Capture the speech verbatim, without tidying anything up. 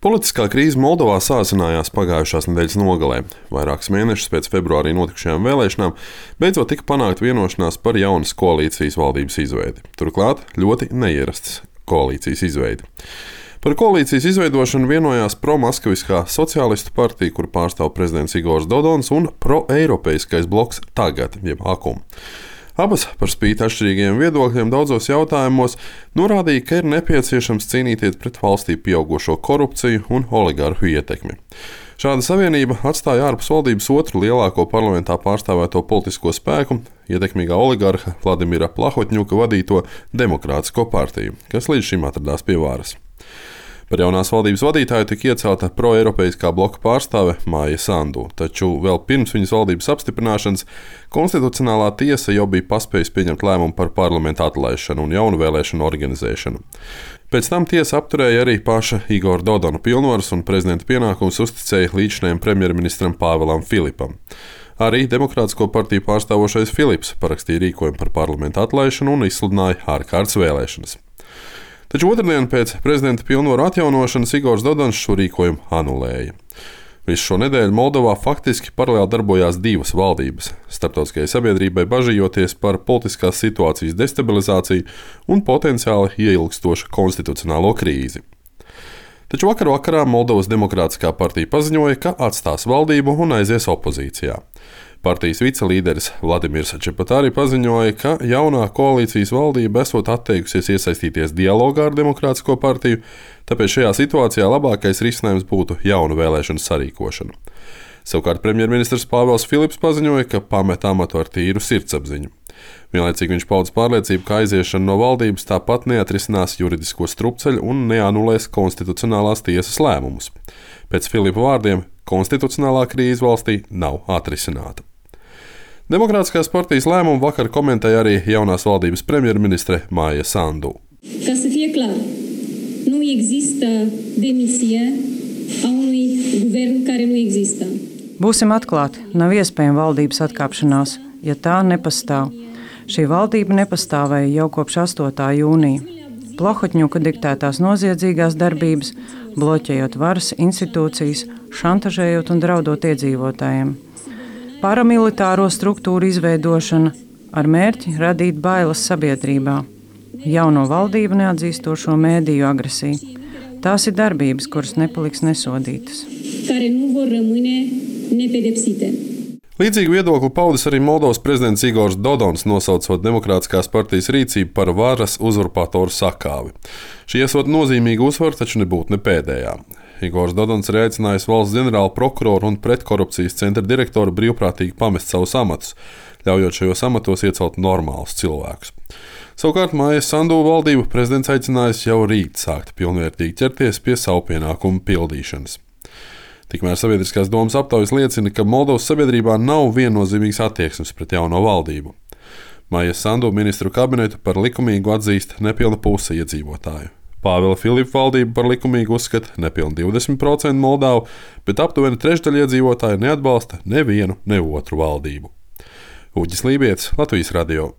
Politiskā krīze Moldovā sāsinājās pagājušās nedēļas nogalē. Vairākus mēnešus pēc februārī notikušajām vēlēšanām beidzot tika panākta vienošanās par jaunas koalīcijas valdības izveidi. Turklāt ļoti neierastas koalīcijas izveidi. Par koalīcijas izveidošanu vienojās pro-maskaviskā sociālistu partija, kuru pārstāv prezidents Igors Dodons, un pro-eiropeiskais bloks Tagad, jeb Akum. Abas, par spīti atšķirīgiem viedokļiem daudzos jautājumos, norādīja, ka ir nepieciešams cīnīties pret valstī pieaugušo korupciju un oligarhu ietekmi. Šāda savienība atstāja ārpus valdības otru lielāko parlamentā pārstāvēto politisko spēku, ietekmīgā oligarha Vladimira Plahotņuka vadīto Demokrātisko partiju, kas līdz šim atradās pie varas. Par jaunās valdības vadītāju tika iecelta pro-eiropeiskā bloka pārstāve Maija Sandu, taču vēl pirms viņas valdības apstiprināšanas Konstitucionālā tiesa jau bija paspējusi pieņemt lēmumu par parlamenta atlaišanu un jaunu vēlēšanu organizēšanu. Pēc tam tiesa apturēja arī paša Igora Dodona pilnvaras un prezidenta pienākumus uzticēja līdzinājumam premjerministram Pāvelam Filipam. Arī Demokrātisko partiju pārstāvošais Filips parakstīja rīkojumu par parlamenta atlaišanu un izsludināja ārkārtas vēlēšanas. Taču otrdien pēc prezidenta pilnvaru atjaunošanas Igors Dodons šo rīkojumu anulēja. Visu šo nedēļu Moldovā faktiski paralēli darbojās divas valdības, starptautiskajai sabiedrībai bažījoties par politiskās situācijas destabilizāciju un potenciāli ieilgstošu konstitucionālo krīzi. Taču vakar vakarā Moldovas Demokrātiskā partija paziņoja, ka atstās valdību un aizies opozīcijā. Partijas vicelīderis Vladimirs Čepatāri paziņoja, ka jaunā koalīcijas valdība esot atteikusies iesaistīties dialogā ar Demokrātisko partiju, tāpēc šajā situācijā labākais risinājums būtu jaunu vēlēšanu sarīkošana. Savukārt premjerministrs Pāvels Filips paziņoja, ka pamet amatu ar tīru sirdsapziņu. Vienlaicīgi viņš pauda pārliecību, ka aiziešana no valdības tāpat neatrisinās juridisko strupceļu un neanulēs konstitucionālās tiesas lēmumus. Pēc Filipa vārdiem, konstitucionālā krīze valstī nav atrisināta. Demokrātiskās partijas lēmumu vakar komentēja arī jaunās valdības premjerministre Maija Sandu. Ca să fie clar, nu există demisie a unui guvern care nu există. Būsim atklāti, nav iespējama valdības atkāpšanās, ja tā nepastāv. Šī valdība nepastāvēja jau kopš astotā jūnija. Plahotņuka diktētās noziedzīgās darbības, bloķējot varas institūcijas, šantažējot un draudot iedzīvotājiem. Paramilitāro struktūru izveidošana ar mērķi radīt bailes sabiedrībā. Jauno valdību neatzīstošo mēdīju agresiju. Tās ir darbības, kuras nepaliks nesodītas. Care nu vor rămâne nepedepsite. Līdzīgu viedokli paudis arī Moldovas prezidents Igors Dodons, nosaucot Demokrātiskās partijas rīcību par varas uzurpatoru sakāvi. Šī esot nozīmīga uzvara, taču nebūtu ne pēdējā. Igors Dodons ir aicinājis valsts ģenerāla prokuroru un pretkorupcijas centra direktoru brīvprātīgi pamest savus amatus, ļaujot šajos amatos iecelt normālus cilvēkus. Savukārt Maija Sandu valdību prezidents aicinājis jau rīt sākt pilnvērtīgi ķerties pie savu pienākumu pildīšanas. Tikmēr sabiedriskās domas aptaujas liecina, ka Moldovas sabiedrībā nav viennozīmīgas attieksmes pret jauno valdību. Maija Sandu ministru kabinetu par likumīgu atzīst nepilna puse iedzīvotāju. Pāvela Filipa valdību par likumīgu uzskata nepilni divdesmit procenti Moldavu, bet aptuveni trešdaļa iedzīvotāju neatbalsta nevienu, ne otru valdību. Uģis Lībietis, Latvijas radio.